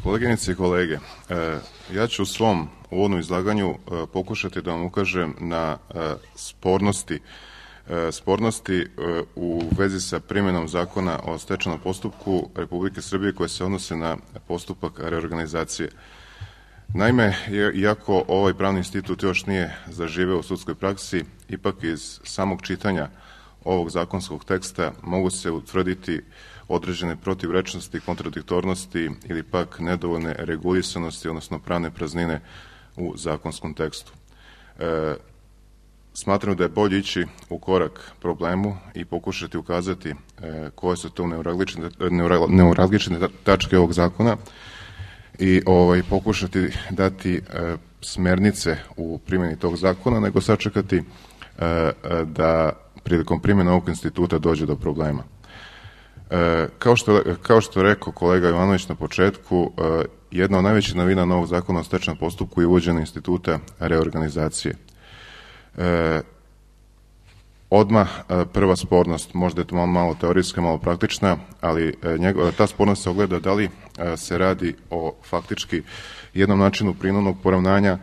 Koleginice i kolege, ja ću u svom uvodnom izlaganju pokušati da vam ukažem na spornosti u vezi sa primjenom zakona o stečajnom postupku Republike Srbije koje se odnose na postupak reorganizacije. Naime, iako ovaj pravni institut još nije zaživeo u sudskoj praksi, ipak iz samog čitanja ovog zakonskog teksta mogu se utvrditi određene protivrečnosti, kontradiktornosti ili pak nedovoljne regulisanosti, odnosno pravne praznine u zakonskom tekstu. Smatram da je bolje ići u korak problemu i pokušati ukazati koje su to neuralgične tačke ovog zakona i pokušati dati smernice u primjeni tog zakona, nego sačekati da prilikom primjene ovog instituta dođe do problema. Kao što je rekao kolega Jovanović na početku, jedna od najvećih novina novog zakona o stečajnom postupku je uvođenje instituta reorganizacije. Odmah prva spornost, možda je to malo teorijska, malo praktična, ali ta spornost se ogleda da li se radi o faktički jednom načinu prinudnog poravnanja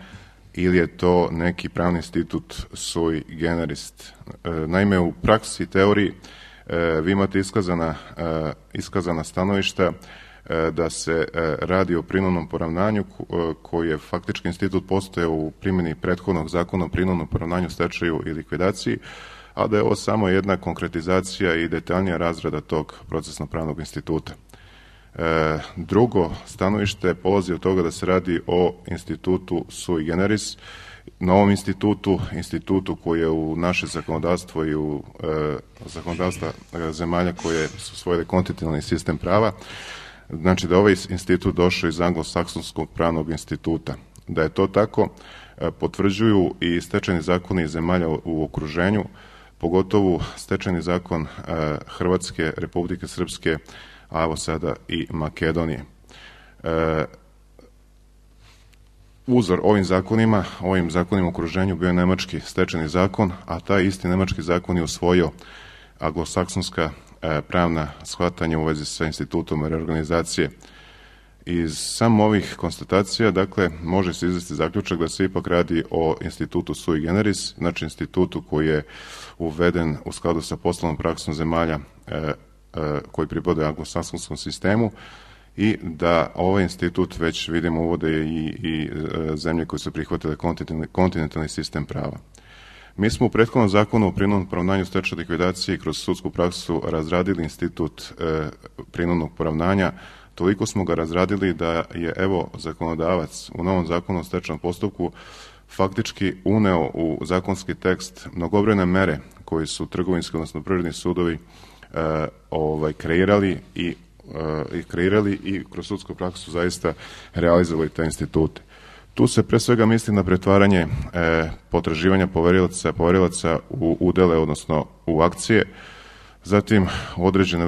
ili je to neki pravni institut sui generis. Naime, u praksi i teoriji vi imate iskazana stanovišta da se radi o prinudnom poravnanju koji je faktički institut postojao u primjeni prethodnog zakona o prinudnom poravnanju, stečaju i likvidaciji, a da je ovo samo jedna konkretizacija i detaljnija razrada tog procesno-pravnog instituta. Drugo stanovište polazi od toga da se radi o institutu sui generis, novom institutu koji je u naše zakonodavstvo i u zakonodavstva zemalja koje su usvojile kontinentalni sistem prava. Znači da ovaj institut došao iz anglosaksonskog pravnog instituta. Da je to tako potvrđuju i stečajni zakoni zemalja u okruženju, pogotovo stečajni zakon Hrvatske, Republike Srpske, a evo sada i Makedonije. Uzor ovim zakonima u okruženju bio je nemački stečajni zakon, a taj isti nemački zakon je usvojio anglosaksonska pravna shvatanja u vezi sa institutom reorganizacije. Iz samo ovih konstatacija, dakle, može se izvesti zaključak da se ipak radi o institutu sui generis, znači institutu koji je uveden u skladu sa poslovnom praksom zemalja koji pripadaju anglosaksonskom sistemu i da ovaj institut već vidimo uvode i zemlje koje su prihvatile kontinentalni sistem prava. Mi smo u prethodnom zakonu o prinudnom poravnanju, stečaju, likvidaciji kroz sudsku praksu razradili institut prinudnog poravnanja. Toliko smo ga razradili da je zakonodavac u novom zakonu o stečajnom postupku faktički uneo u zakonski tekst mnogobrojne mere koji su trgovinski, odnosno privredni sudovi kreirali i kroz sudsku praksu zaista realizovali te institute. Tu se pre svega misli na pretvaranje potraživanja poverilaca u udele, odnosno u akcije, zatim određene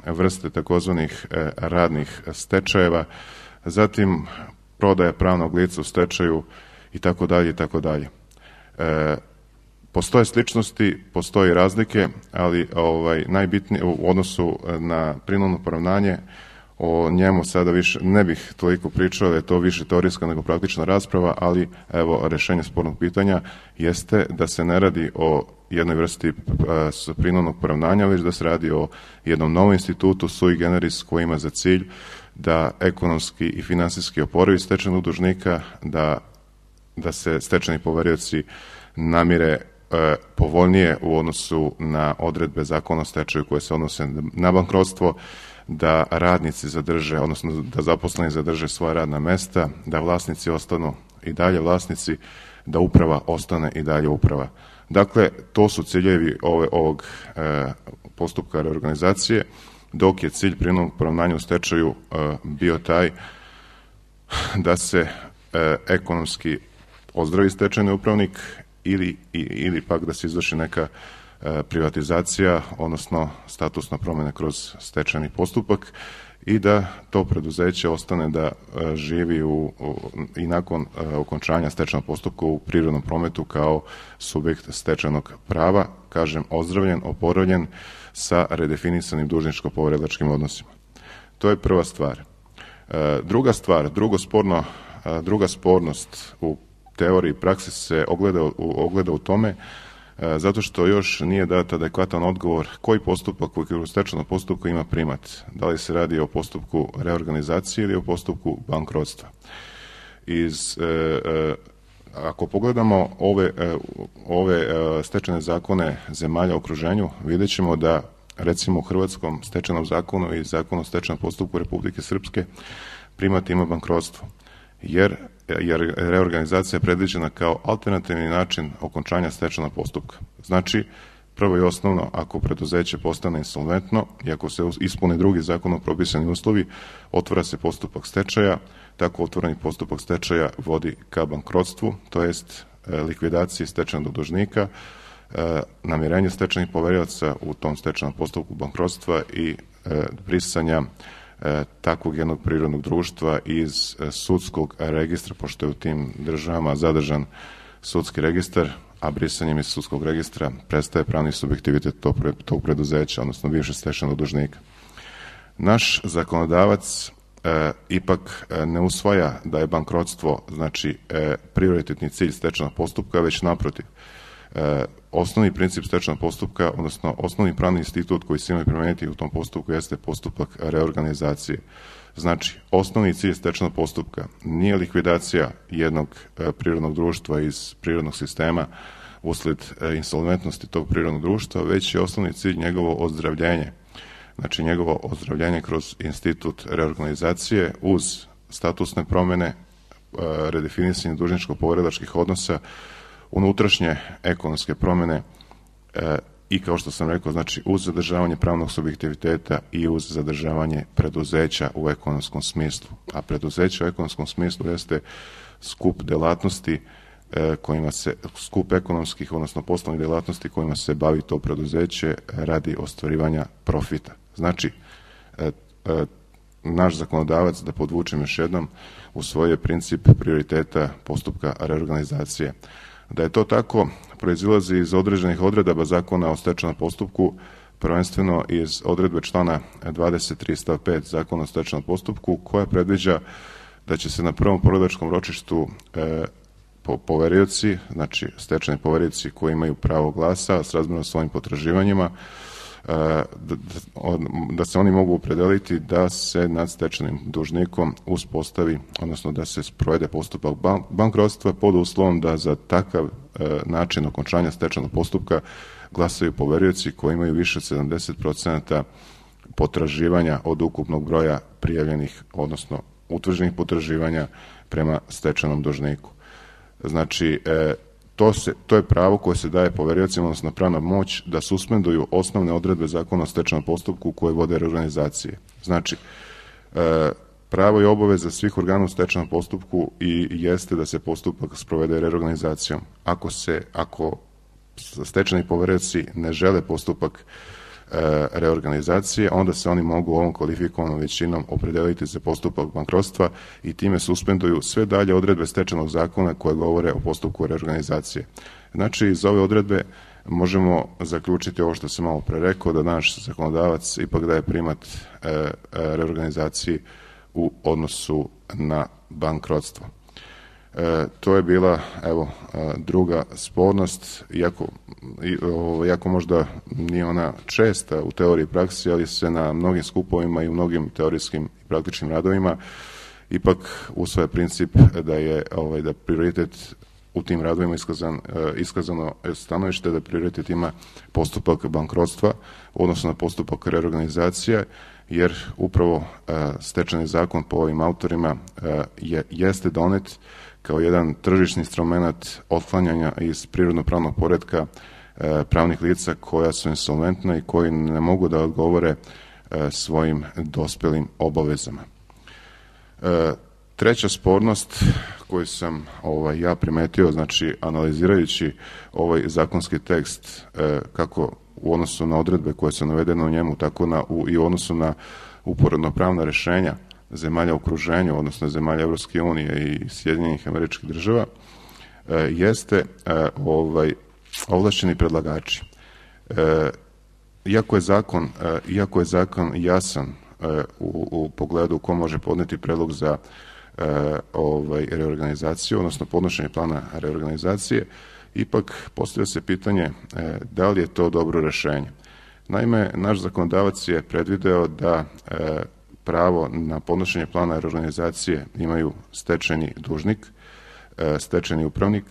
vrste takozvanih radnih stečajeva, zatim prodaja pravnog lica u stečaju itd. Postoje sličnosti, postoje razlike, ali najbitnije u odnosu na prinudno poravnanje, o njemu sada više ne bih toliko pričao, da je to više teorijska nego praktična rasprava, ali evo rešenje spornog pitanja jeste da se ne radi o jednoj vrsti prinudnog poravnanja, već da se radi o jednom novom institutu sui generis koji ima za cilj da ekonomski i finansijski oporavi stečajnog dužnika, da se stečajni poverioci namire povoljnije u odnosu na odredbe zakona o stečaju koje se odnose na bankrotstvo, da radnici zadrže, odnosno da zaposleni zadrže svoja radna mesta, da vlasnici ostanu i dalje vlasnici, da uprava ostane i dalje uprava. Dakle, to su ciljevi ovog postupka reorganizacije, dok je cilj prinudnog poravnanja u stečaju bio taj da se ekonomski ozdravi stečajni upravnik ili pak da se izvrši neka privatizacija, odnosno statusna promjena kroz stečajni postupak i da to preduzeće ostane da živi i nakon okončanja stečajnog postupka u privrednom prometu kao subjekt stečajnog prava, kažem, ozdravljen, oporavljen sa redefinisanim dužničko-poverilačkim odnosima. To je prva stvar. Druga spornost u teoriji i praksi se ogleda u tome zato što još nije dat adekvatan odgovor koji postupak koji u stečajnom postupku ima primat. Da li se radi o postupku reorganizacije ili o postupku bankrotstva. Ako pogledamo ove stečajne zakone zemalja u okruženju, vidjet ćemo da recimo u Hrvatskom stečajnom zakonu i Zakonu o stečajnom postupku Republike Srpske primat ima bankrotstvo, jer reorganizacija je predviđena kao alternativni način okončanja stečajnog postupka. Znači, prvo i osnovno, ako preduzeće postane insolventno i ako se ispune drugi zakonom propisani uslovi, otvara se postupak stečaja. Tako otvoreni postupak stečaja vodi ka bankrotstvu, to jest likvidaciji stečajnog dužnika, namirenju stečajnih poverilaca u tom stečajnom postupku bankrotstva i brisanja takvog jednog prirodnog društva iz sudskog registra, pošto je u tim državama zadržan sudski registar, a brisanjem iz sudskog registra prestaje pravni subjektivitet tog preduzeća, odnosno bivšeg stečajnog dužnika. Naš zakonodavac ipak ne usvaja da je bankrotstvo, znači, prioritetni cilj stečajnog postupka, već naprotiv. Osnovni princip stečajnog postupka, odnosno osnovni pravni institut koji se ima primeniti u tom postupku jeste postupak reorganizacije. Znači, osnovni cilj stečajnog postupka nije likvidacija jednog prirodnog društva iz prirodnog sistema usled insolventnosti tog prirodnog društva, već je osnovni cilj njegovo ozdravljenje. Znači, njegovo ozdravljenje kroz institut reorganizacije uz statusne promene, redefinisanje dužničko-poverilačkih odnosa, unutrašnje ekonomske promene i, kao što sam rekao, znači uz zadržavanje pravnog subjektiviteta i uz zadržavanje preduzeća u ekonomskom smislu. A preduzeće u ekonomskom smislu jeste skup delatnosti skup ekonomskih, odnosno poslovnih delatnosti kojima se bavi to preduzeće radi ostvarivanja profita. Znači, naš zakonodavac, da podvučem još jednom, usvojio princip prioriteta postupka reorganizacije. Da je to tako, proizilazi iz određenih odredaba Zakona o stečajnom postupku, prvenstveno iz odredbe člana 23 stav 5 Zakona o stečajnom postupku, koja predviđa da će se na prvom poverilačkom ročištu poverioci, znači stečajni poverioci koji imaju pravo glasa srazmjerno svojim potraživanjima, da se oni mogu opredeliti da se nad stečajnim dužnikom uspostavi, odnosno da se sprovede postupak bankrotstva pod uslovom da za takav način okončanja stečajnog postupka glasaju poverioci koji imaju više od 70% potraživanja od ukupnog broja prijavljenih, odnosno utvrđenih potraživanja prema stečajnom dužniku. Znači, to je pravo koje se daje poveriocima, odnosno pravna moć da suspenduju osnovne odredbe Zakona o stečajnom postupku koje vode reorganizacije. Znači, pravo i obaveza svih organa u stečajnom postupku i jeste da se postupak sprovede reorganizacijom. Ako stečajni poverioci ne žele postupak reorganizacije, onda se oni mogu ovom kvalifikovanom većinom opredeliti za postupak bankrotstva i time suspenduju sve dalje odredbe stečajnog zakona koje govore o postupku reorganizacije. Znači, iz ove odredbe možemo zaključiti ovo što sam malo pre rekao, da naš zakonodavac ipak daje primat reorganizaciji u odnosu na bankrotstvo. To je bila, druga spornost, iako možda nije ona česta u teoriji i praksi, ali se na mnogim skupovima i u mnogim teorijskim i praktičnim radovima ipak usvaja princip da prioritet u tim radovima iskazano stanovište da prioritet ima postupak bankrotstva, odnosno na postupak reorganizacije, jer upravo stečajni zakon po ovim autorima jeste donet kao jedan tržišni instrument otklanjanja iz prirodno-pravnog poretka pravnih lica koja su insolventna i koji ne mogu da odgovore svojim dospelim obavezama. Treća spornost koju sam ja primetio, znači analizirajući ovaj zakonski tekst kako u odnosu na odredbe koje su navedene u njemu, tako i u odnosu na uporedno pravna rešenja zemalja u okruženju, odnosno zemalja Evropske unije i Sjedinjenih Američkih Država, jeste ovlašćeni predlagači. Iako je zakon jasan u pogledu ko može podneti predlog za reorganizaciju, odnosno podnošenje plana reorganizacije, ipak postavlja se pitanje da li je to dobro rešenje. Naime, naš zakonodavac je predvideo da pravo na podnošenje plana reorganizacije imaju stečajni dužnik, stečajni upravnik,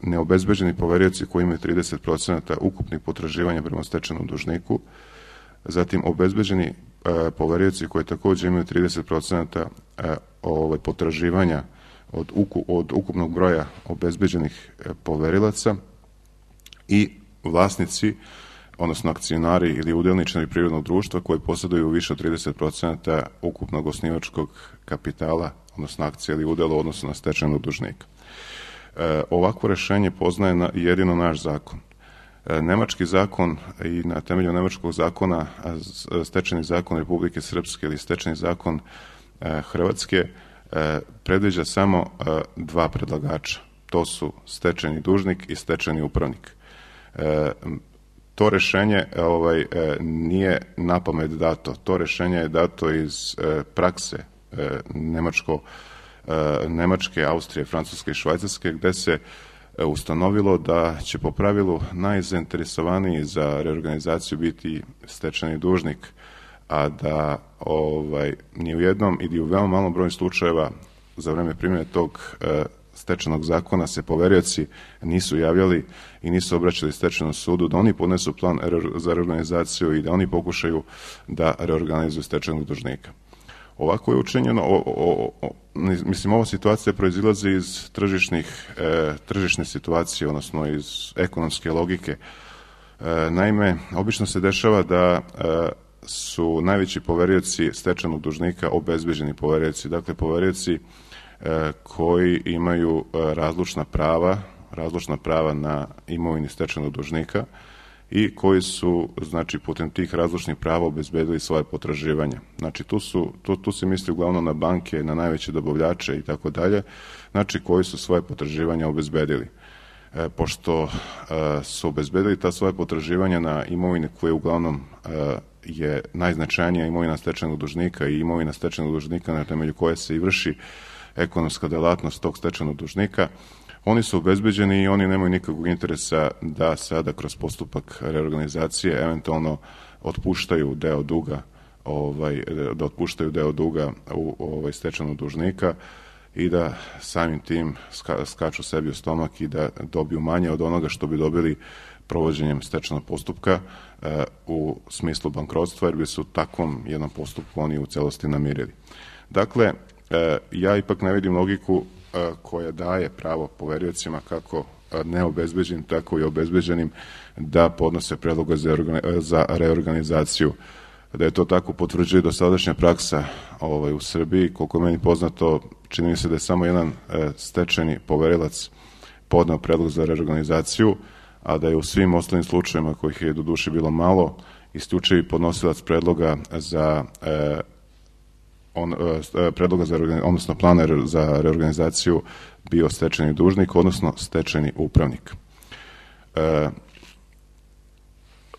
neobezbeđeni poverioci koji imaju 30% ukupnih potraživanja prema stečajnom dužniku, zatim obezbeđeni poverioci koji takođe imaju 30% potraživanja od ukupnog broja obezbeđenih poverilaca i vlasnici, odnosno akcionari ili udelničari privrednog društva koji posjeduju više od 30% ukupnog osnivačkog kapitala, odnosno akcije ili udela u odnosu na stečajnog dužnika. Ovakvo rešenje poznaje jedino naš zakon. Nemački zakon i na temelju nemačkog zakona, stečajni zakon Republike Srpske ili stečajni zakon Hrvatske, predviđa samo dva predlagača. To su stečajni dužnik i stečajni upravnik. To rešenje nije napamet dato. To rešenje je dato iz prakse Nemačke, Austrije, Francuske i Švajcarske, gde se ustanovilo da će po pravilu najzainteresovaniji za reorganizaciju biti stečajni dužnik, a da ni u jednom ili u veoma malom broju slučajeva za vreme primjene tog stečajnog zakona se poverioci nisu javljali i nisu obraćali stečajnom sudu da oni podnesu plan za reorganizaciju i da oni pokušaju da reorganizuju stečajnog dužnika. Ovako je učinjeno, ova situacija proizilazi iz tržišne situacije, odnosno iz ekonomske logike. Naime, obično se dešava da su najveći poverioci stečajnog dužnika obezbeđeni poverioci, dakle poverioci koji imaju razlučna prava na imovini stečajnog dužnika i koji su, znači, putem tih razlučnih prava obezbedili svoje potraživanja. Znači, tu se misli uglavnom na banke, na najveće dobavljače i tako dalje, znači, koji su svoje potraživanja obezbedili. Pošto su obezbedili ta svoje potraživanja na imovine koje uglavnom je najznačajnija imovina stečajnog dužnika i imovina stečajnog dužnika na temelju koje se i vrši ekonomska delatnost tog stečajnog dužnika, oni su obezbeđeni i oni nemaju nikakvog interesa da sada kroz postupak reorganizacije eventualno otpuštaju deo duga u stečajnog dužnika i da samim tim skaču sebi u stomak i da dobiju manje od onoga što bi dobili provođenjem stečajnog postupka u smislu bankrotstva, jer bi se u takvom jednom postupku oni u celosti namirili. Dakle, ja ipak ne vidim logiku koja daje pravo poveriocima, kako neobezbeđenim, tako i obezbeđenim, da podnose predloge za reorganizaciju. Da je to tako potvrđuje dosadašnja praksa u Srbiji. Koliko je meni poznato, čini mi se da je samo jedan stečajni poverilac podneo predlog za reorganizaciju, a da je u svim ostalim slučajevima, kojih je doduše bilo malo, isključivi podnosilac predloga odnosno plana za reorganizaciju bio stečajni dužnik, odnosno stečajni upravnik.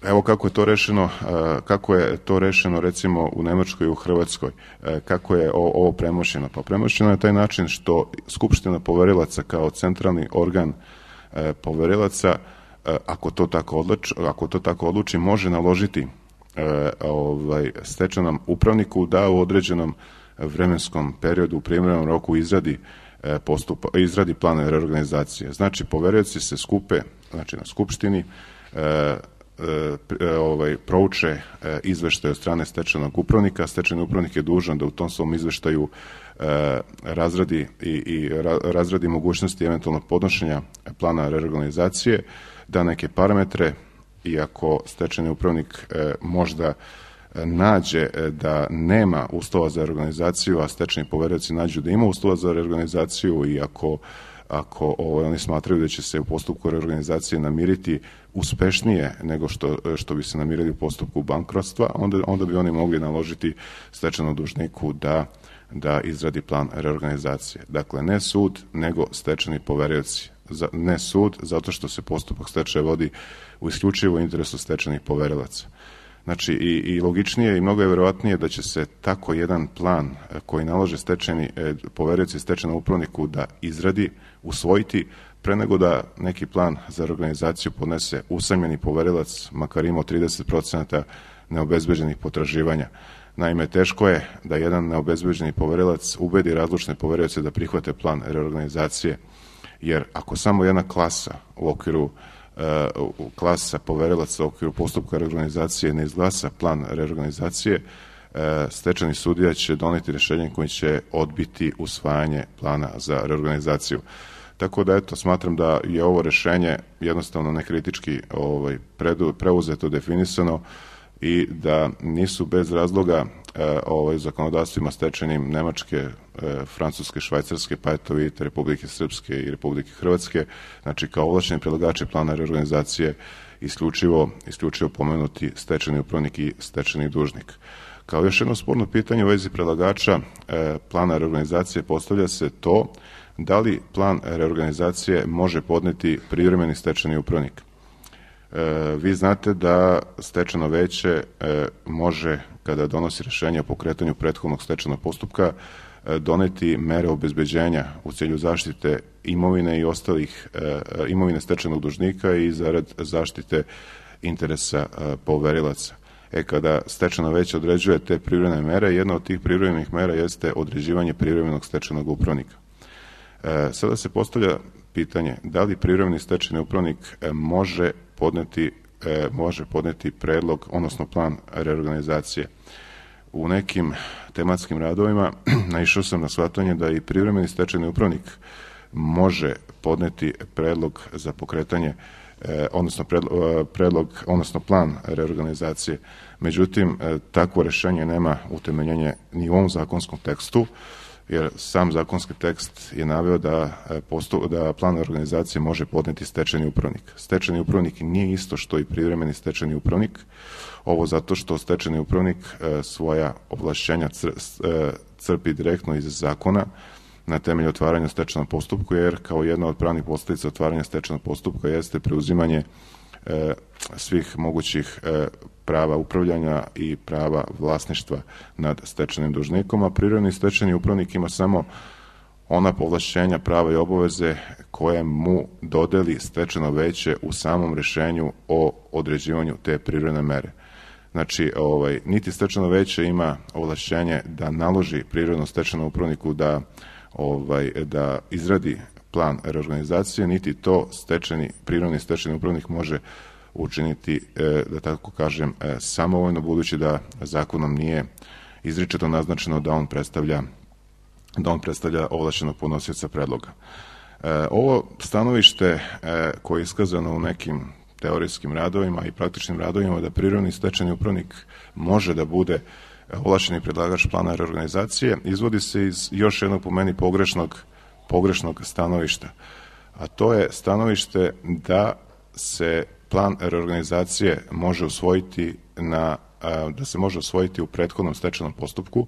Evo kako je to rešeno recimo u Nemačkoj i u Hrvatskoj. Kako je ovo premošćeno? Pa premošćeno je taj način što Skupština poverilaca kao centralni organ poverilaca, ako to tako odluči, može naložiti stečajnom upravniku da u određenom vremenskom periodu u primjerenom roku izradi plan reorganizacije. Znači, poverioci se skupe, znači na Skupštini, prouče izveštaj od strane stečajnog upravnika. Stečajni upravnik je dužan da u tom svom izveštaju razradi mogućnosti eventualnog podnošenja plana reorganizacije, da neke parametre, i ako stečajni upravnik možda nađe da nema uslova za reorganizaciju, a stečajni poverioci nađu da ima uslova za reorganizaciju i ako oni smatraju da će se u postupku reorganizacije namiriti uspešnije nego što bi se namirili u postupku bankrotstva, onda bi oni mogli naložiti stečajnom dužniku da izradi plan reorganizacije. Dakle, ne sud, nego stečajni poverioci. Ne sud, zato što se postupak stečaja vodi u isključivo interesu stečajnih poverilaca. Znači i logičnije i mnogo je verovatnije da će se tako jedan plan koji nalože stečajni poverioci stečajnom upravniku da izradi, usvojiti, pre nego da neki plan za reorganizaciju podnese usamljeni poverilac, makar imao 30% neobezbeđenih potraživanja. Naime, teško je da jedan neobezbeđeni poverilac ubedi razlučne poverioce da prihvate plan reorganizacije, jer ako samo jedna klasa u okviru klasa poverilaca u okviru postupka reorganizacije ne izglasa plan reorganizacije, stečajni sudija će doneti rešenje koji će odbiti usvajanje plana za reorganizaciju. Tako da, eto, smatram da je ovo rešenje jednostavno nekritički preuzeto, definisano i da nisu bez razloga zakonodavstvima stečajnim Nemačke, Francuske, Švajcarske, pa eto vidite Republike Srpske i Republike Hrvatske, znači kao ovlašćeni predlagači plana reorganizacije isključivo pomenuti stečajni upravnik i stečajni dužnik. Kao još jedno sporno pitanje u vezi predlagača plana reorganizacije postavlja se to da li plan reorganizacije može podneti privremeni stečajni upravnik. Vi znate da stečajno veće može, kada donosi rešenje o pokretanju prethodnog stečajnog postupka, doneti mere obezbeđenja u cilju zaštite imovine i ostalih imovine stečajnog dužnika i zarad zaštite interesa poverilaca. Kada stečajno veće određuje te privremene mere, jedna od tih privremenih mera jeste određivanje privremenog stečajnog upravnika. Sada se postavlja pitanje da li privremeni stečajni upravnik može podneti predlog, odnosno plan reorganizacije. U nekim tematskim radovima naišao sam na shvatanje da i privremeni stečajni upravnik može podneti predlog za pokretanje, odnosno plan reorganizacije. Međutim, takvo rešenje nema utemeljenje ni u ovom zakonskom tekstu, jer sam zakonski tekst je naveo da plan organizacije može podneti stečajni upravnik. Stečajni upravnik nije isto što i privremeni stečajni upravnik, ovo zato što stečajni upravnik svoja ovlašćenja crpi direktno iz zakona na temelju otvaranja stečajnog postupka, jer kao jedna od pravnih posledica otvaranja stečajnog postupka jeste preuzimanje svih mogućih prava upravljanja i prava vlasništva nad stečajnim dužnikom, a privremeni stečajni upravnik ima samo ona povlašćenja, prava i obaveze koje mu dodeli stečajno veće u samom rešenju o određivanju te privremene mere. Znači, niti stečajno veće ima ovlašćenje da naloži privremenom stečajnom upravniku da izradi plan reorganizacije, niti to privremeni stečajni upravnik može učiniti, da tako kažem, samovoljno, budući da zakonom nije izričito naznačeno da on predstavlja ovlašćenog podnosioca predloga. Ovo stanovište koje je iskazano u nekim teorijskim radovima i praktičnim radovima da privremeni stečajni upravnik može da bude ovlašćeni predlagač plana reorganizacije, izvodi se iz još jednog po meni pogrešnog stanovišta, a to je stanovište da se plan reorganizacije može usvojiti u prethodnom stečajnom postupku,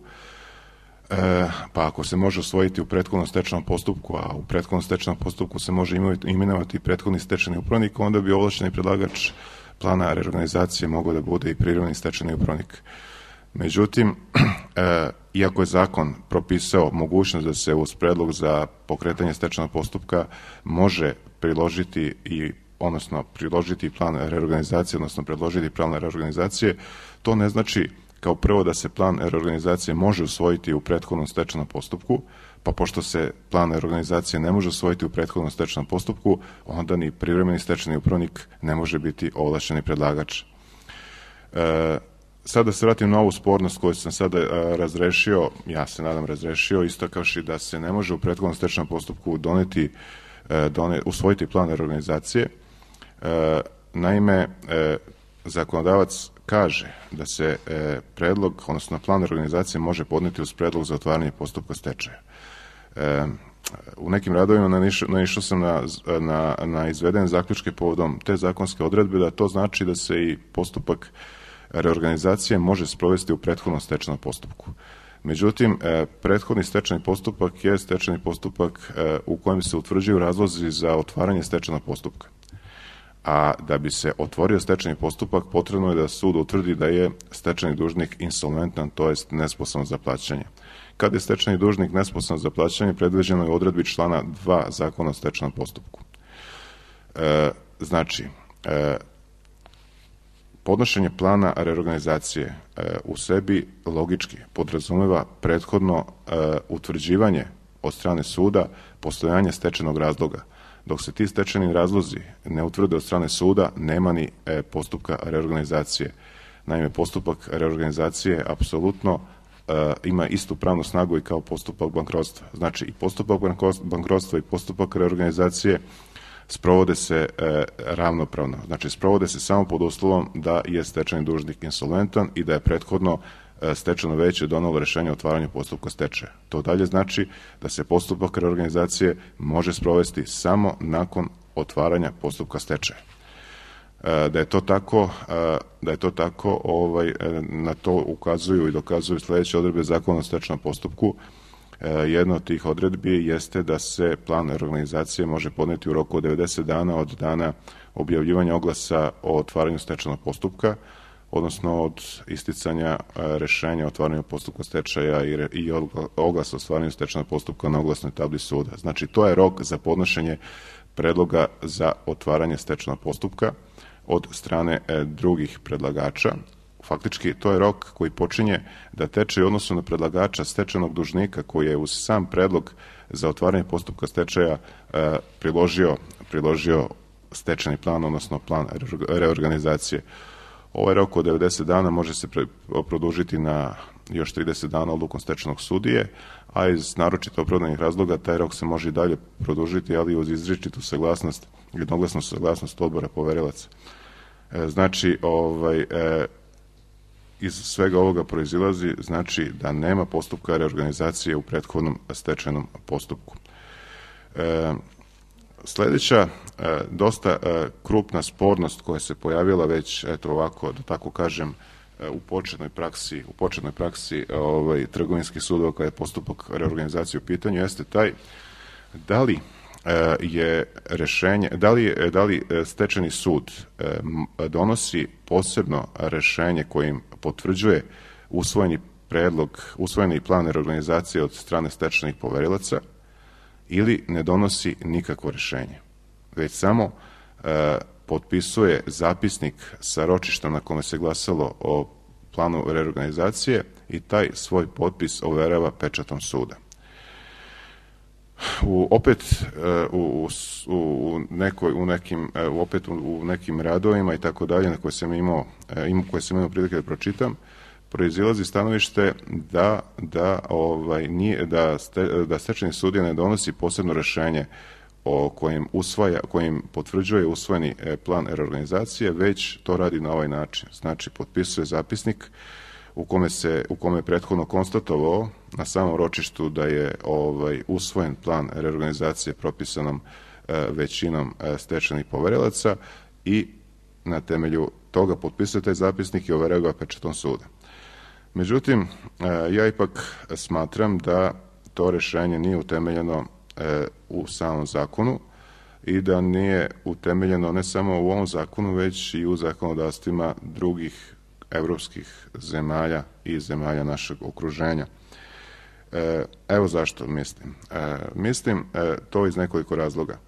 pa ako se može usvojiti u prethodnom stečajnom postupku, a u prethodnom stečajnom postupku se može imenovati prethodni stečajni upravnik, onda bi ovlašćeni predlagač plana reorganizacije mogao da bude i privremeni stečajni upravnik. Međutim, iako je zakon propisao mogućnost da se uz predlog za pokretanje stečajnog postupka može priložiti plan reorganizacije, odnosno predložiti plan reorganizacije, to ne znači kao prvo da se plan reorganizacije može usvojiti u prethodnom stečajnom postupku, pa pošto se plan reorganizacije ne može usvojiti u prethodnom stečajnom postupku, onda ni privremeni stečajni upravnik ne može biti ovlašćeni predlagač. Sada da se vratim na ovu spornost koju sam sada razrešio, ja se nadam razrešio, istakavši da se ne može u prethodnom stečajnom postupku usvojiti plan reorganizacije. Naime, zakonodavac kaže da se predlog, odnosno plan reorganizacije može podneti uz predlog za otvaranje postupka stečaja. U nekim radovima naišao sam na izvedene zaključke povodom te zakonske odredbe, da to znači da se i postupak reorganizacije može sprovesti u prethodnom stečajnom postupku. Međutim, prethodni stečajni postupak je stečajni postupak u kojem se utvrđuju razlozi za otvaranje stečajnog postupka. a da bi se otvorio stečajni postupak potrebno je da sud utvrdi da je stečajni dužnik insolventan, to jest nesposoban za plaćanje. Kada je stečajni dužnik nesposoban za plaćanje, predviđeno je u odredbi člana 2 Zakona o stečajnom postupku. Znači, podnošenje plana reorganizacije u sebi logički podrazumeva prethodno utvrđivanje od strane suda postojanja stečajnog razloga. Dok se ti stečajni razlozi ne utvrde od strane suda, nema ni postupka reorganizacije. Naime, postupak reorganizacije apsolutno ima istu pravnu snagu i kao postupak bankrotstva. Znači, i postupak bankrotstva i postupak reorganizacije sprovode se ravnopravno. Znači, sprovode se samo pod uslovom da je stečajni dužnik insolventan i da je prethodno stečajno veće donelo rešenje o otvaranju postupka stečaja. To dalje znači da se postupak reorganizacije može sprovesti samo nakon otvaranja postupka stečaja. Da je to tako, na to ukazuju i dokazuju sledeće odredbe Zakona o stečajnom postupku. Jedna od tih odredbi jeste da se plan reorganizacije može podneti u roku od 90 dana od dana objavljivanja oglasa o otvaranju stečajnog postupka, odnosno od isticanja rešenja o otvaranju postupka stečaja i oglasa o otvaranju stečajnog postupka na oglasnoj tabli suda. Znači, to je rok za podnošenje predloga za otvaranje stečajnog postupka od strane drugih predlagača. Faktički, to je rok koji počinje da teče u odnosu na predlagača stečajnog dužnika koji je uz sam predlog za otvaranje postupka stečaja priložio stečajni plan, odnosno plan reorganizacije. Ovaj rok od 90 dana može se produžiti na još 30 dana odlukom stečajnog sudije, a iz naročito opravdanih razloga taj rok se može i dalje produžiti, ali uz izričitu saglasnost, jednoglasnu saglasnost odbora poverilaca. Znači, iz svega ovoga proizilazi znači da nema postupka reorganizacije u prethodnom stečajnom postupku. Sledeća dosta krupna spornost koja se pojavila već, eto ovako, da tako kažem, u početnoj praksi trgovinskih sudova kada je postupak reorganizacije u pitanju, jeste taj da li je rešenje, da li stečajni sud donosi posebno rešenje kojim potvrđuje usvojeni plan reorganizacije od strane stečajnih poverilaca ili ne donosi nikakvo rešenje, već samo potpisuje zapisnik sa ročišta na kome se glasalo o planu reorganizacije i taj svoj potpis overava pečatom suda. U nekim radovima i tako dalje na koje sam imao prilike da pročitam, proizilazi stanovište da stečajni sudija ne donosi posebno rešenje kojim potvrđuje usvojeni plan reorganizacije, već to radi na ovaj način. Znači, potpisuje zapisnik u kome je prethodno konstatovao na samom ročištu da je usvojen plan reorganizacije propisanom većinom stečajnih poverilaca i na temelju toga potpisuje taj zapisnik i overava ga pečatom suda. Međutim, ja ipak smatram da to rešenje nije utemeljeno u samom zakonu i da nije utemeljeno ne samo u ovom zakonu, već i u zakonodavstvima drugih evropskih zemalja i zemalja našeg okruženja. Evo zašto mislim. Mislim to iz nekoliko razloga.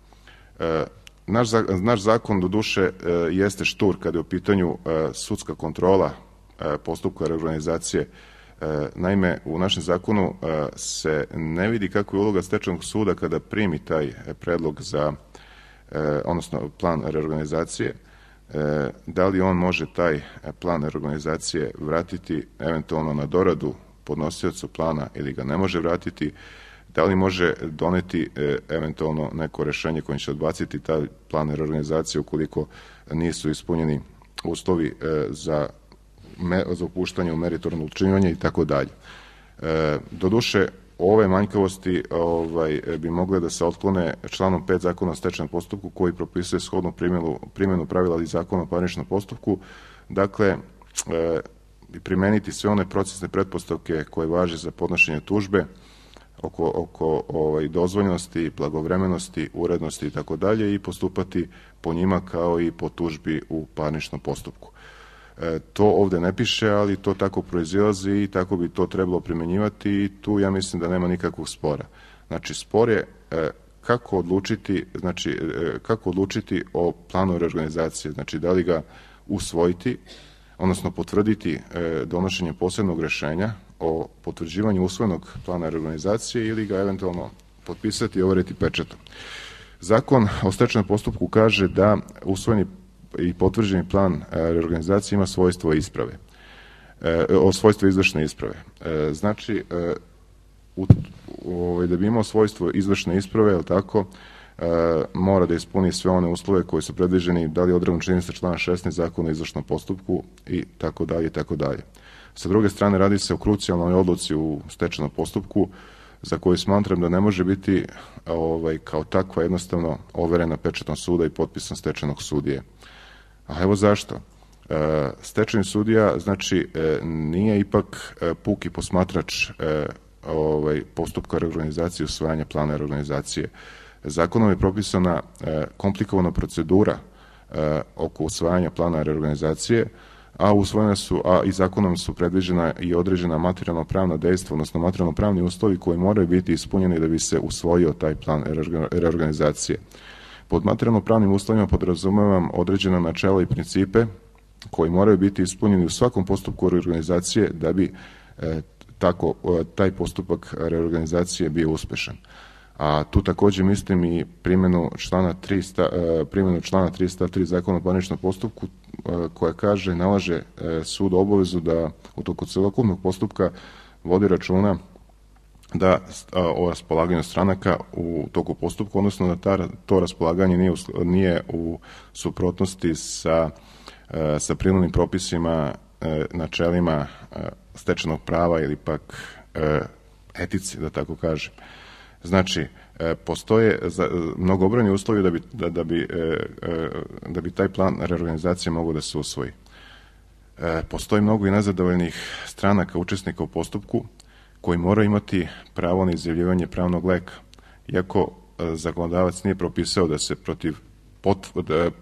Naš zakon, doduše, jeste štur kada je u pitanju sudska kontrola postupka reorganizacije. Naime, u našem zakonu se ne vidi kako je uloga stečajnog suda kada primi taj predlog odnosno plan reorganizacije, da li on može taj plan reorganizacije vratiti eventualno na doradu podnosiocu plana ili ga ne može vratiti, da li može doneti eventualno neko rešenje kojim će odbaciti taj plan reorganizacije ukoliko nisu ispunjeni uslovi za upuštanje u meritorno odlučivanje i tako dalje. Doduše, ove manjkavosti bi mogle da se otklone članom 5 Zakona o stečajnom postupku koji propisuje shodnu primjenu pravila iz Zakona o parničnom postupku, dakle, primeniti sve one procesne pretpostavke koje važe za podnošenje tužbe, oko dozvoljnosti, blagovremenosti, urednosti i tako dalje i postupati po njima kao i po tužbi u parničnom postupku. To ovde ne piše, ali to tako proizilazi i tako bi to trebalo primjenjivati i tu ja mislim da nema nikakvog spora. Znači, spor je kako odlučiti o planu reorganizacije, znači da li ga usvojiti, odnosno potvrditi donošenjem posebnog rešenja o potvrđivanju usvojenog plana reorganizacije ili ga eventualno potpisati i overiti pečatom. Zakon o stečajnom postupku kaže da usvojeni i potvrđeni plan reorganizacije ima svojstvo isprave, svojstvo izvršne isprave. Znači, da bi imao svojstvo izvršne isprave, je tako, mora da ispuni sve one uslove koji su predviđeni, da li je odredbom činjenica člana 16 Zakona o izvršnom postupku i tako dalje i tako dalje. Sa druge strane, radi se o krucijalnoj odluci u stečajnom postupku za koju smatram da ne može biti kao takva jednostavno overena pečatom suda i potpisom stečajnog sudije. A evo zašto. Stečajni sudija, znači, nije ipak puki posmatrač postupka reorganizacije i usvajanja plana reorganizacije. Zakonom je propisana komplikovana procedura oko usvajanja plana reorganizacije, a i zakonom su predviđena i određena materijalno-pravna dejstva, odnosno materijalno-pravni uslovi koji moraju biti ispunjeni da bi se usvojio taj plan reorganizacije. Pod materijalno-pravnim uslovima podrazumevam određena načela i principe koji moraju biti ispunjeni u svakom postupku reorganizacije da bi taj postupak reorganizacije bio uspešan. A tu takođe mislim i primjenu člana 3 stav 3 Zakona o parničnom postupku koja kaže, nalaže sud obavezu da u toku celokupnog postupka vodi računa da o raspolaganju stranaka u toku postupka, odnosno da to raspolaganje nije u suprotnosti sa prirodnim propisima, načelima stečajnog prava ili pak etici, da tako kažem. Znači, postoje mnogobrojni uslovi da bi taj plan reorganizacije mogao da se usvoji. Postoji mnogo i nezadovoljnih stranaka učesnika u postupku koji moraju imati pravo na izjavljivanje pravnog leka. Iako zakonodavac nije propisao da se protiv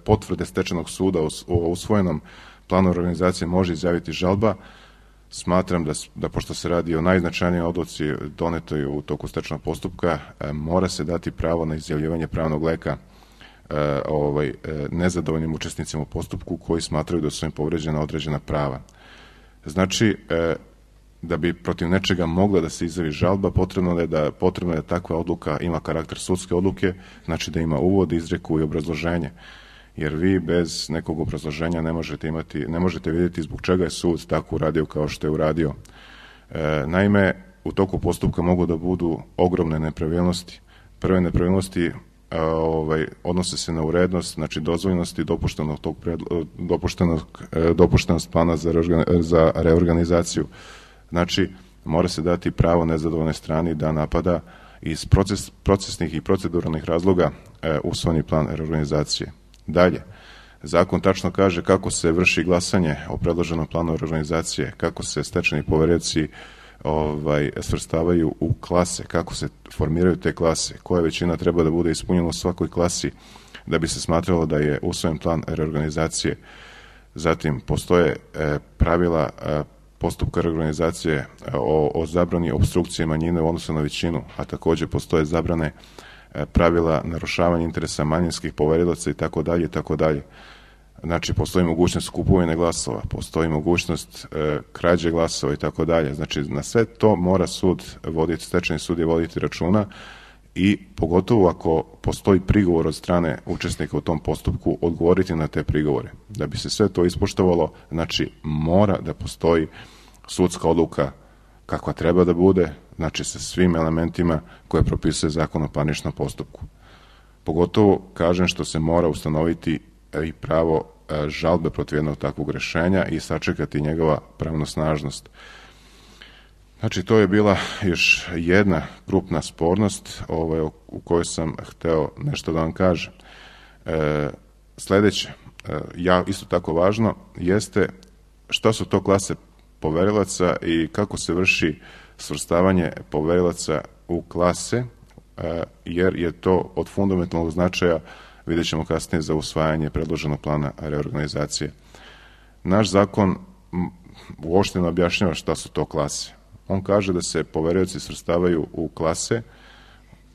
potvrde stečajnog suda o usvojenom planu organizacije može izjaviti žalba, smatram da pošto se radi o najznačajnijoj odluci donetoj u toku stečajnog postupka, mora se dati pravo na izjavljivanje pravnog leka nezadovoljnim učesnicima u postupku koji smatraju da su im povređena određena prava. Znači, da bi protiv nečega mogla da se izjavi žalba, potrebno je da takva odluka ima karakter sudske odluke, znači da ima uvod, izreku i obrazloženje. Jer vi bez nekog obrazloženja ne možete vidjeti zbog čega je sud tako uradio kao što je uradio. Naime, u toku postupka mogu da budu ogromne nepravilnosti. Prve nepravilnosti odnose se na urednost, znači dozvoljnost i dopuštenost plana za reorganizaciju. Znači, mora se dati pravo nezadovoljnoj strani da napada iz procesnih i proceduralnih razloga usvojeni plan reorganizacije. Dalje, zakon tačno kaže kako se vrši glasanje o predloženom planu reorganizacije, kako se stečajni poverioci svrstavaju u klase, kako se formiraju te klase, koja većina treba da bude ispunjena u svakoj klasi da bi se smatralo da je usvojen plan reorganizacije. Zatim, postoje pravila postupka reorganizacije o zabrani opstrukcije manjine u odnosu na većinu, a takođe postoje zabrane pravila narušavanja interesa manjinskih poverilaca i tako dalje i tako dalje. Znači, postoji mogućnost kupovine glasova, postoji mogućnost krađe glasova i tako dalje. Znači, na sve to mora stečajni sud voditi računa i pogotovo ako postoji prigovor od strane učesnika u tom postupku, odgovoriti na te prigovore. Da bi se sve to ispoštovalo, znači, mora da postoji sudska odluka kakva treba da bude, znači sa svim elementima koje propisuje Zakon o parničnom postupku. Pogotovo, kažem, što se mora ustanoviti i pravo žalbe protiv jednog takvog rešenja i sačekati njegova pravnosnažnost. Znači, to je bila još jedna krupna spornost u kojoj sam hteo nešto da vam kažem. Sledeće, isto tako važno, jeste šta su to klase poverilaca i kako se vrši svrstavanje poverilaca u klase, jer je to od fundamentalnog značaja, vidjet ćemo kasnije, za usvajanje predloženog plana reorganizacije. Naš zakon uopšte ne objašnjava šta su to klase. On kaže da se poverioci svrstavaju u klase,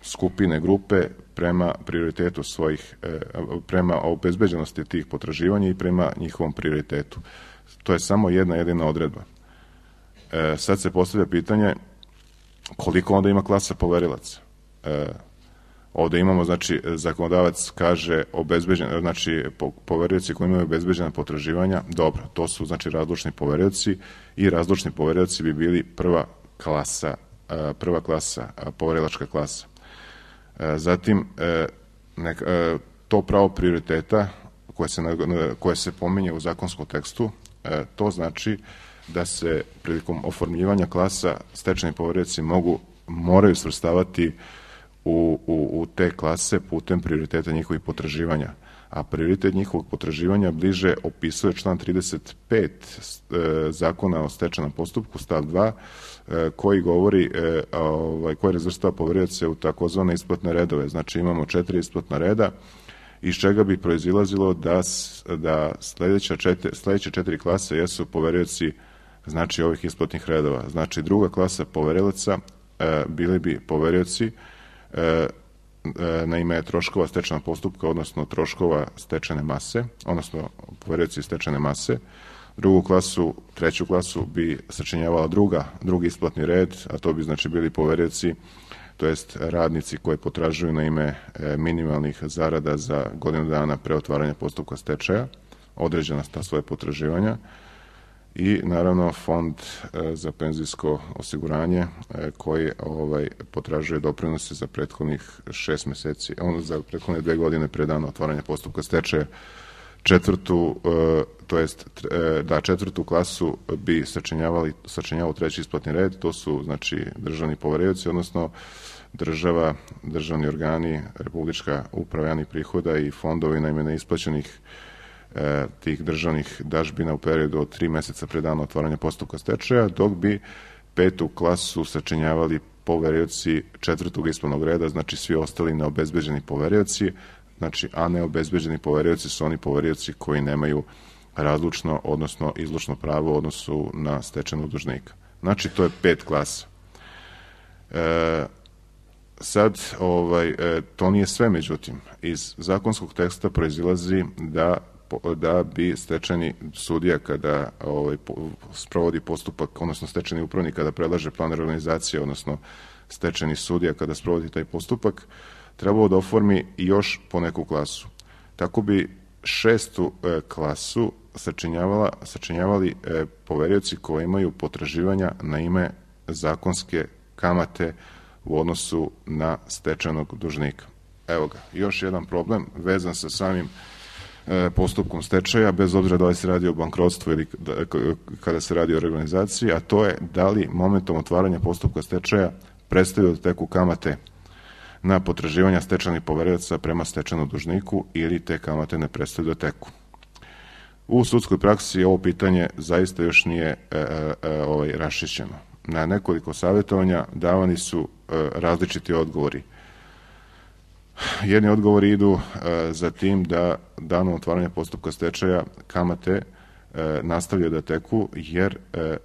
skupine, grupe prema prioritetu svojih, prema obezbeđenosti tih potraživanja i prema njihovom prioritetu. To je samo jedna jedina odredba. Sad se postavlja pitanje koliko onda ima klasa poverilaca. Ovde imamo, znači, zakonodavac kaže znači, poverioci koji imaju obezbeđena potraživanja, dobro, to su, znači, razlučni poverioci i razlučni poverioci bi bili prva klasa, poverilačka klasa. Zatim, to pravo prioriteta koje se pominje u zakonskom tekstu, to znači da se prilikom oformljivanja klasa stečajni poverioci moraju svrstavati u te klase putem prioriteta njihovih potraživanja. A prioritet njihovog potraživanja bliže opisuje član 35 zakona o stečajnom postupku, stav 2, koji govori, koji razvrstava poverioce u takozvane isplatne redove. Znači imamo 4 isplatna reda, iz čega bi proizilazilo da sledeće 4 klase jesu poverioci, znači, ovih isplatnih redova. Znači, druga klasa poverilaca bili bi poverioci na ime troškova stečajnog postupka, odnosno troškova stečajne mase, odnosno poverioci stečajne mase. Treću klasu bi sačinjavala drugi isplatni red, a to bi, znači, bili poverioci, to jest radnici koji potražuju na ime minimalnih zarada za godinu dana pre otvaranja postupka stečaja, određena ta svoje potraživanja, i naravno fond za penzijsko osiguranje koji potražuje doprinose za prethodnih 6 meseci, za prethodne 2 godine pre dana otvaranja postupka stečaja. Četvrtu klasu bi sačinjavao treći isplatni red, to su, znači, državni poverioci, odnosno država, državni organi, Republička uprava javnih prihoda i fondovi na ime neisplaćenih tih državnih dažbina u periodu od 3 meseca pre dana otvaranja postupka stečaja, dok bi petu klasu sačinjavali poverioci četvrtog isplatnog reda, znači svi ostali neobezbeđeni poverioci, znači, a neobezbeđeni poverioci su oni poverioci koji nemaju razlučno, odnosno izlučno pravo u odnosu na stečajnog dužnika. Znači, to je 5 klasa. Sad, to nije sve, međutim, iz zakonskog teksta proizilazi da bi stečajni sudija kada sprovodi postupak, odnosno stečajni upravnik kada predlaže plan reorganizacije, odnosno stečajni sudija kada sprovodi taj postupak, trebalo da oformi još po neku klasu. Tako bi 6. klasu sačinjavali poverioci koji imaju potraživanja na ime zakonske kamate u odnosu na stečajnog dužnika. Evo ga, još jedan problem vezan sa samim postupkom stečaja, bez obzira da li se radi o bankrotstvu ili kada se radi o reorganizaciji, a to je da li momentom otvaranja postupka stečaja prestaju da teku kamate na potraživanja stečajnih poverioca prema stečajnom dužniku ili te kamate ne prestaju da teku. U sudskoj praksi ovo pitanje zaista još nije raščišćeno. Na nekoliko savjetovanja davani su različiti odgovori. Jedni odgovori idu za tim da danom otvaranja postupka stečaja kamate nastavljaju da teku, jer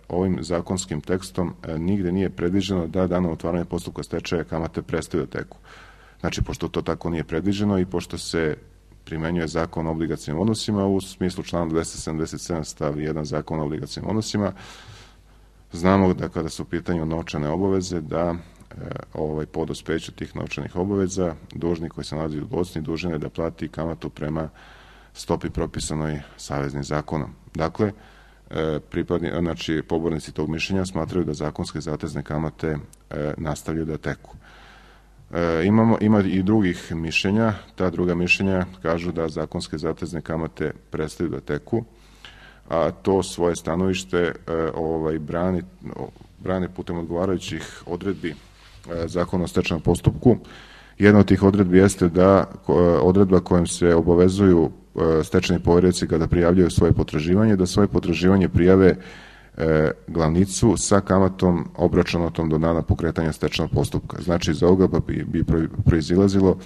ovim zakonskim tekstom nigde nije predviđeno da danom otvaranja postupka stečaja kamate prestaju da teku. Znači, pošto to tako nije predviđeno i pošto se primenjuje zakon o obligacijnim odnosima u smislu člana 277 stav 1 zakona o obligacijnim odnosima, znamo da kada su u pitanju novčane obaveze, da po dospeću tih novčanih obaveza dužnik koji se nalazi u dužnosti dužan je da plati kamatu prema stopi propisanoj saveznim zakonom. Dakle, pobornici tog mišljenja smatraju da zakonske zatezne kamate nastavljaju da teku. Ima i drugih mišljenja. Ta druga mišljenja kažu da zakonske zatezne kamate prestaju da teku, a to svoje stanovište brane putem odgovarajućih odredbi Zakona o stečajnom postupku. Jedna od tih odredbi jeste da odredba kojom se obavezuju stečajni poverioci kada prijavljaju svoje potraživanje, da svoje potraživanje prijave glavnicu sa kamatom obračunatom do dana pokretanja stečajnog postupka. Znači, iz ovoga bi proizilazilo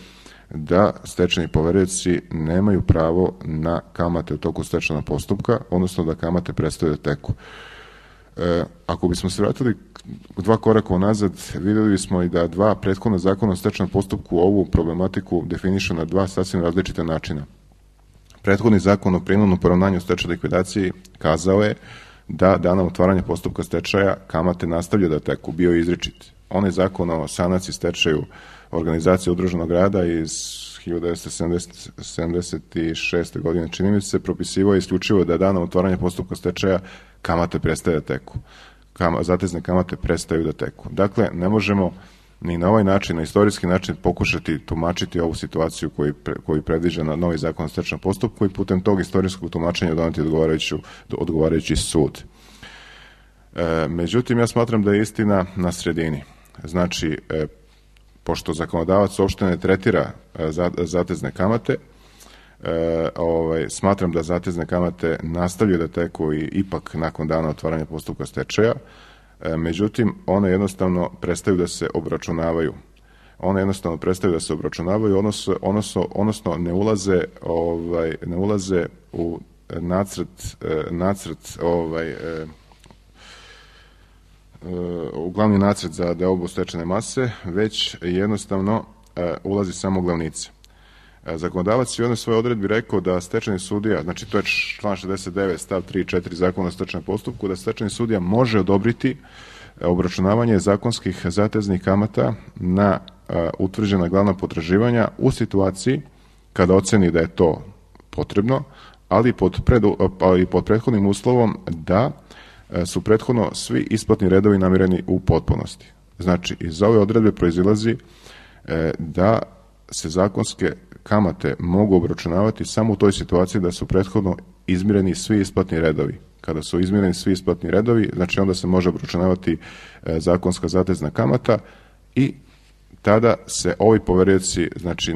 da stečajni poverioci nemaju pravo na kamate u toku stečajnog postupka, odnosno da kamate prestaju da teku. Ako bismo se vratili 2 koraka unazad, videli bismo i da 2 prethodna zakona o stečajnom postupku ovu problematiku definišu na 2 sasvim različite načina. Prethodni zakon o prinudnom poravnanju stečajnoj likvidaciji kazao je da danom otvaranja postupka stečaja kamate nastavljaju da teku, bio je izričit. Onaj zakon o sanaciji stečaju organizacije udruženog rada iz 1976. godine, čini mi se, propisivao je isključivo da danom otvaranja postupka stečaja kamate prestaje da teku. Zatezne kamate prestaju da teku. Dakle, ne možemo ni na ovaj način, na istorijski način pokušati tumačiti ovu situaciju koju predviđa na novi zakon o stečajnom postupku i putem tog istorijskog tumačenja doneti odgovarajući sud. Međutim, ja smatram da je istina na sredini. Znači, pošto zakonodavac uopšte ne tretira zatezne kamate, smatram da zatezne kamate nastavljaju da teku i ipak nakon dana otvaranja postupka stečaja, međutim, one jednostavno prestaju da se obračunavaju. Odnosno ne ulaze u u glavni nacrt za deobu stečajne mase, već jednostavno ulazi samo glavnica. Zakonodavac je u jednoj svojoj odredbi rekao da stečajni sudija, znači to je član 69 stav 3 i 4 zakona o stečajnom postupku, da stečajni sudija može odobriti obračunavanje zakonskih zateznih kamata na utvrđena glavna potraživanja u situaciji kada oceni da je to potrebno, ali pod prethodnim uslovom da su prethodno svi isplatni redovi namireni u potpunosti. Znači, iz ove odredbe proizilazi da se zakonske kamate mogu obračunavati samo u toj situaciji da su prethodno izmireni svi isplatni redovi. Kada su izmireni svi isplatni redovi, znači onda se može obračunavati zakonska zatezna kamata i tada se ovi poverioci, znači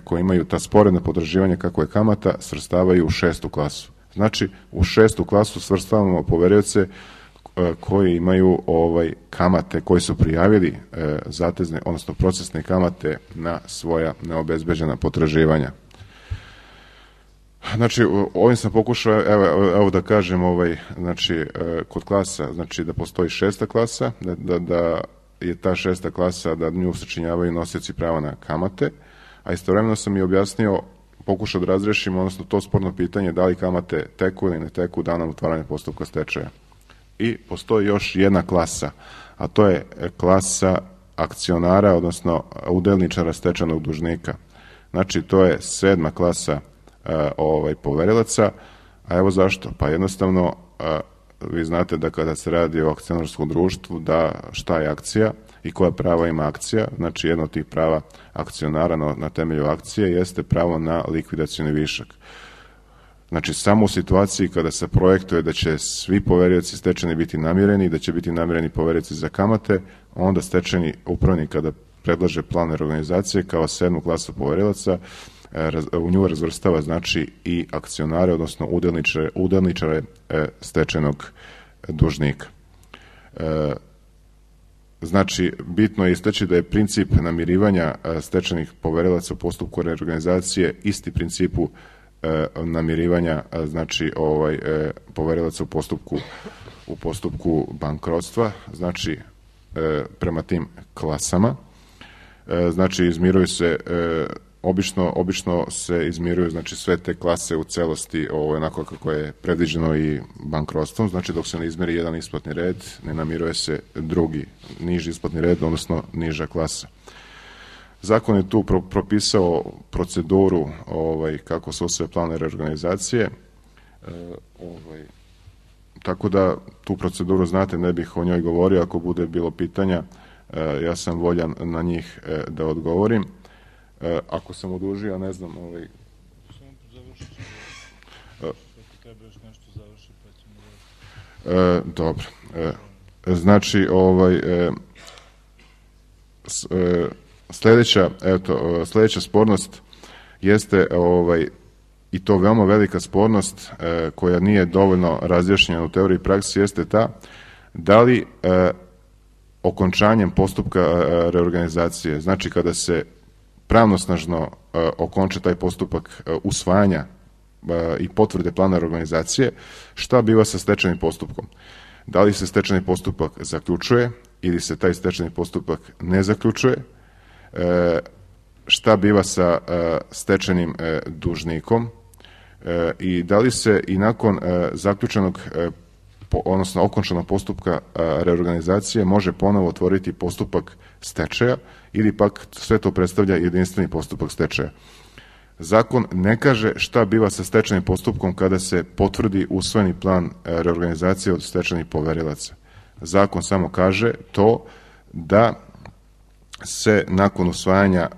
koji imaju ta sporedna potraživanja kako je kamata, svrstavaju u 6. klasu. Znači, u 6. klasu svrstavamo poverioce koji imaju kamate, koji su prijavili zatezne, odnosno procesne kamate na svoja neobezbeđena potraživanja. Znači, ovim sam pokušao, evo da kažem, znači, kod klasa, znači da postoji 6. klasa, da je ta 6. klasa, da nju sačinjavaju nosioci prava na kamate, a istovremeno sam i objasnio, pokušao da razrešimo, odnosno to sporno pitanje da li kamate teku ili ne teku danom otvaranja postupka stečaja. I postoji još jedna klasa, a to je klasa akcionara, odnosno udelničara stečajnog dužnika. Znači, to je 7. klasa poverilaca, a evo zašto? Pa jednostavno, vi znate da kada se radi o akcionarskom društvu, da šta je akcija i koja prava ima akcija, znači jedno od tih prava akcionara na temelju akcije jeste pravo na likvidacioni višak. Znači, samo u situaciji kada se projektuje da će svi poverioci stečajni biti namireni, da će biti namireni poverioci za kamate, onda stečajni upravnik kada predlaže plan reorganizacije kao 7. klasu poverilaca, u nju razvrstava znači i akcionare, odnosno udelničare stečajnog dužnika. Znači, bitno je istaći da je princip namirivanja stečajnih poverilaca u postupku reorganizacije isti principu namirivanja, znači poverilaca u postupku bankrotstva, znači prema tim klasama. Znači, izmiruju se obično se izmiruju, znači, sve te klase u celosti onako kako je predviđeno i bankrotstvom, znači dok se ne izmeri jedan isplatni red, ne namiruje se drugi, niži isplatni red, odnosno niža klasa. Zakon je tu propisao proceduru kako se usvaja plan reorganizacije, tako da tu proceduru znate, ne bih o njoj govorio, ako bude bilo pitanja, ja sam voljan na njih da odgovorim. Ako sam odužio, ne znam, Samo završit ću. Ako treba još nešto završi, pa ćemo... Dobro. Znači, sledeća spornost jeste i to veoma velika spornost koja nije dovoljno razjašnjena u teoriji i praksi, jeste ta da li okončanjem postupka reorganizacije, znači kada se pravnosnažno okonča taj postupak usvajanja i potvrde plana reorganizacije, šta biva sa stečajnim postupkom? Da li se stečajni postupak zaključuje ili se taj stečajni postupak ne zaključuje? Šta biva sa stečajnim dužnikom? I da li se i nakon zaključenog, odnosno okončanog postupka reorganizacije može ponovo otvoriti postupak stečaja ili pak sve to predstavlja jedinstveni postupak stečaja? Zakon ne kaže šta biva sa stečajnim postupkom kada se potvrdi usvojeni plan reorganizacije od stečajnih poverilaca. Zakon samo kaže to da se nakon usvajanja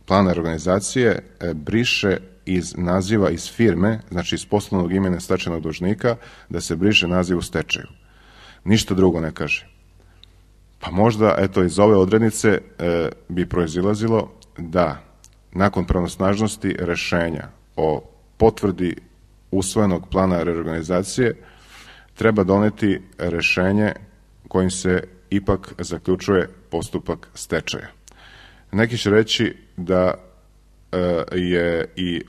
plana reorganizacije briše iz naziva iz firme, znači iz poslovnog imena stečajnog dužnika, da se briše naziv u stečaju. Ništa drugo ne kaže. Pa možda, eto, iz ove odrednice bi proizilazilo da nakon pravnosnažnosti rešenja o potvrdi usvojenog plana reorganizacije treba doneti rešenje kojim se ipak zaključuje postupak stečaja. Neki će reći da je i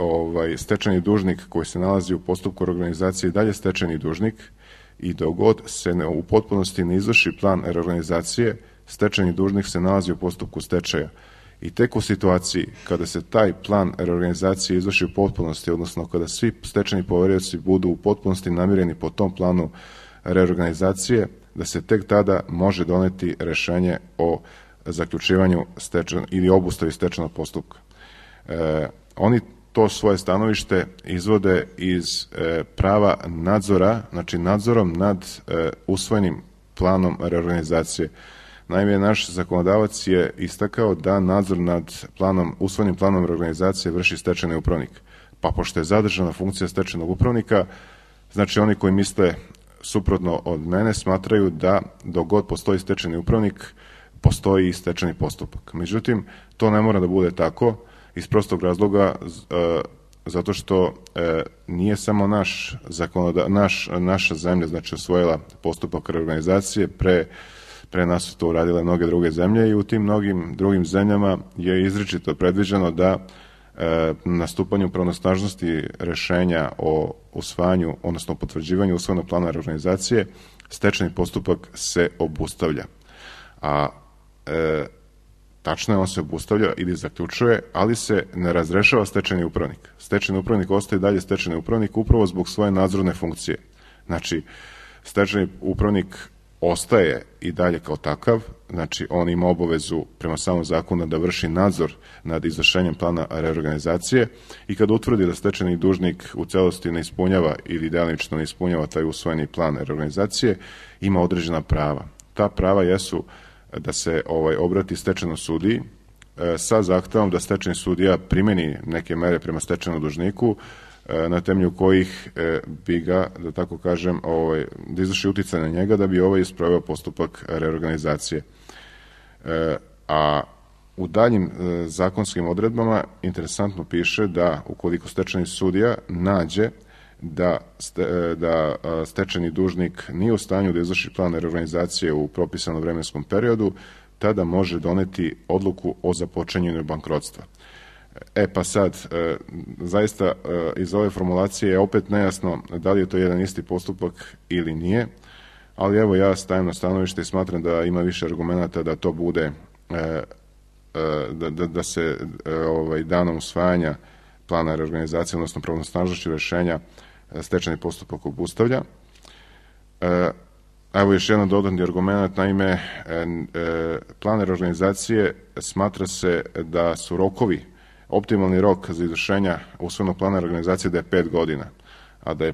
stečajni dužnik koji se nalazi u postupku reorganizacije dalje stečajni dužnik i dok god se u potpunosti ne izvrši plan reorganizacije, stečajni dužnik se nalazi u postupku stečaja. I tek u situaciji kada se taj plan reorganizacije izvrši u potpunosti, odnosno kada svi stečajni poverioci budu u potpunosti namireni po tom planu reorganizacije, da se tek tada može doneti rešenje o zaključivanju ili obustavi stečajnog postupka. Oni to svoje stanovište izvode iz prava nadzora, znači nadzorom nad usvojenim planom reorganizacije. Naime, naš zakonodavac je istakao da nadzor nad usvojenim planom reorganizacije vrši stečajni upravnik. Pa pošto je zadržana funkcija stečajnog upravnika, znači oni koji misle suprotno od mene smatraju da dok god postoji stečajni upravnik, postoji i stečajni postupak. Međutim, to ne mora da bude tako iz prostog razloga zato što nije samo naša zemlja, znači usvojila postupak reorganizacije, pre nas su to uradile mnoge druge zemlje i u tim mnogim drugim zemljama je izričito predviđeno da na stupanju pravnosnažnosti rešenja o usvajanju, odnosno potvrđivanju usvojenog plana reorganizacije, stečajni postupak se obustavlja. A tačno je, on se obustavlja ili zaključuje, ali se ne razrešava stečajni upravnik. Stečajni upravnik ostaje dalje stečajni upravnik upravo zbog svoje nadzorne funkcije. Znači, stečajni upravnik ostaje i dalje kao takav, znači on ima obavezu prema samom zakonu da vrši nadzor nad izvršenjem plana reorganizacije i kad utvrdi da stečajni dužnik u celosti ne ispunjava ili delimično ne ispunjava taj usvojeni plan reorganizacije, ima određena prava. Ta prava jesu da se obrati stečajnom sudiji sa zahtevom da stečajni sudija primeni neke mere prema stečajnom dužniku na temelju kojih bi ga, da tako kažem, da izvrši uticaj na njega da bi isproveo postupak reorganizacije. A u daljim zakonskim odredbama interesantno piše da ukoliko stečajni sudija nađe da stečajni dužnik nije u stanju da izvrši plan reorganizacije u propisanom vremenskom periodu, tada može doneti odluku o započinjanju bankrotstva. Pa sad, zaista iz ove formulacije je opet nejasno da li je to jedan isti postupak ili nije, ali evo ja stajem na stanovište i smatram da ima više argumenata da to bude, da se danom usvajanja plana reorganizacije, odnosno pravnosnažnošću rešenja, stečajni postupak obustavlja. Evo još jedan dodatni argument, naime, plan reorganizacije smatra se da su rokovi, optimalni rok za izvršenja usvojenog plana reorganizacije da je 5 godina, a da je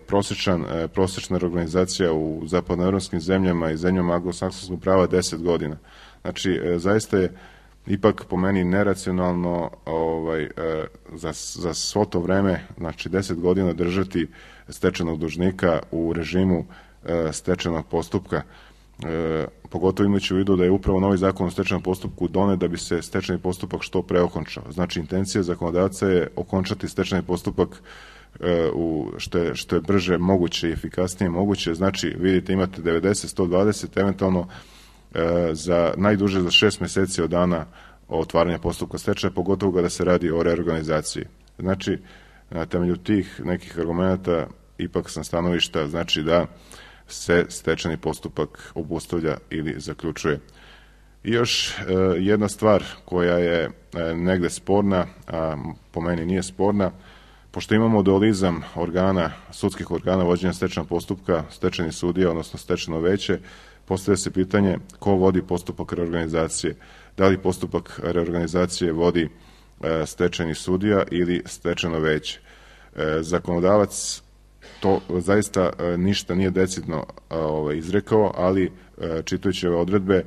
prosečna reorganizacija u zapadnoevropskim zemljama i zemljama anglosaksonskog prava 10 godina. Znači, zaista je ipak po meni neracionalno za svo to vreme, znači 10 godina držati stečajnog dužnika u režimu stečajnog postupka. pogotovo imajući u vidu da je upravo novi zakon o stečajnom postupku donet da bi se stečajni postupak što pre okončao. Znači, intencija zakonodavca je okončati stečajni postupak što je brže moguće i efikasnije moguće. Znači, vidite, imate 90, 120, eventualno najduže za 6 meseci od dana otvaranja postupka stečaja, pogotovo kada se radi o reorganizaciji. Znači, na temelju tih nekih argumenta ipak sam stanovišta, znači da se stečajni postupak obustavlja ili zaključuje. I još jedna stvar koja je negde sporna, a po meni nije sporna, pošto imamo dualizam organa, sudskih organa vođenja stečajnog postupka, stečajni sudija, odnosno stečajno veće, postavlja se pitanje ko vodi postupak reorganizacije. Da li postupak reorganizacije vodi stečajni sudija ili stečajno veće. Zakonodavac to zaista ništa nije decidno izrekao, ali čitajući ove odredbe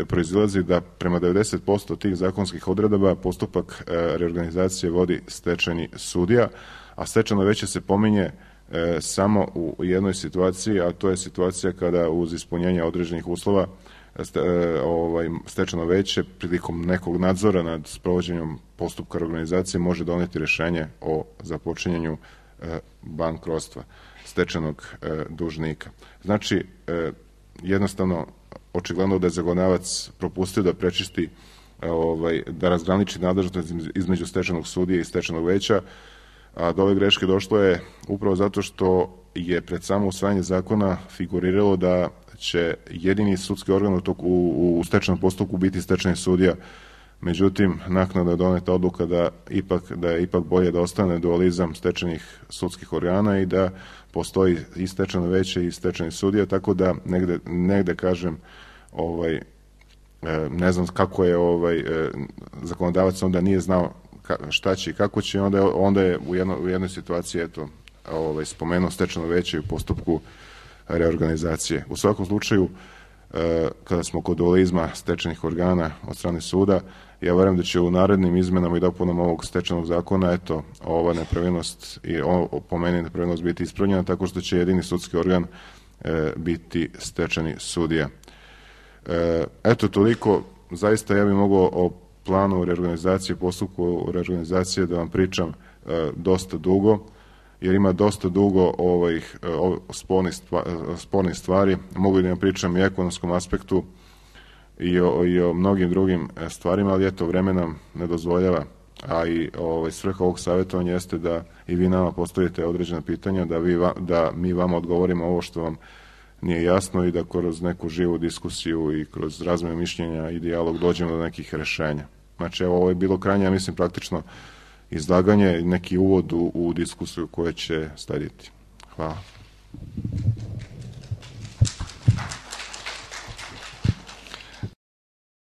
proizilazi da prema 90% tih zakonskih odredaba postupak reorganizacije vodi stečajni sudija, a stečajno veće se pominje samo u jednoj situaciji, a to je situacija kada uz ispunjenje određenih uslova stečajno veće prilikom nekog nadzora nad sprovođenjem postupka reorganizacije može doneti rešenje o započinjanju bankrotstva stečajnog dužnika. Znači, jednostavno, očigledno da je zakonodavac propustio da prečisti, da razgraniči nadležnost između stečajnog sudije i stečajnog veća, a do ove greške došlo je upravo zato što je pred samo usvajanje zakona figuriralo da će jedini sudski organ u stečajnom postupku biti stečajni sudija. Međutim, naknadno je doneta odluka da je ipak bolje da ostane dualizam stečajnih sudskih organa i da postoji i stečajno veće i stečajni sudija, tako da negde kažem, ne znam kako je zakonodavac onda nije znao šta će i kako će, onda je u jednoj situaciji spomenuo stečajno veće u postupku reorganizacije. U svakom slučaju, kada smo kod dualizma stečajnih organa od strane suda, ja verujem da će u narednim izmenama i dopunama ovog stečajnog zakona, ova nepravilnost i po meni nepravilnost biti ispravljena tako što će jedini sudski organ biti stečajni sudija. Toliko. Zaista ja bih mogao o planu reorganizacije, postupku reorganizacije da vam pričam dosta dugo, jer ima dosta dugo spornih stvari. Mogu da vam pričam i o ekonomskom aspektu i o mnogim drugim stvarima, ali vreme nam ne dozvoljava, a i svrha ovog savjetovanja jeste da i vi nama postavite određena pitanja, da mi vama odgovorimo ovo što vam nije jasno i da kroz neku živu diskusiju i kroz razmenu mišljenja i dijalog dođemo do nekih rešenja. Znači, ovo je bilo krajnje, ja mislim, praktično izlaganje, neki uvod u diskusiju koja će slediti. Hvala.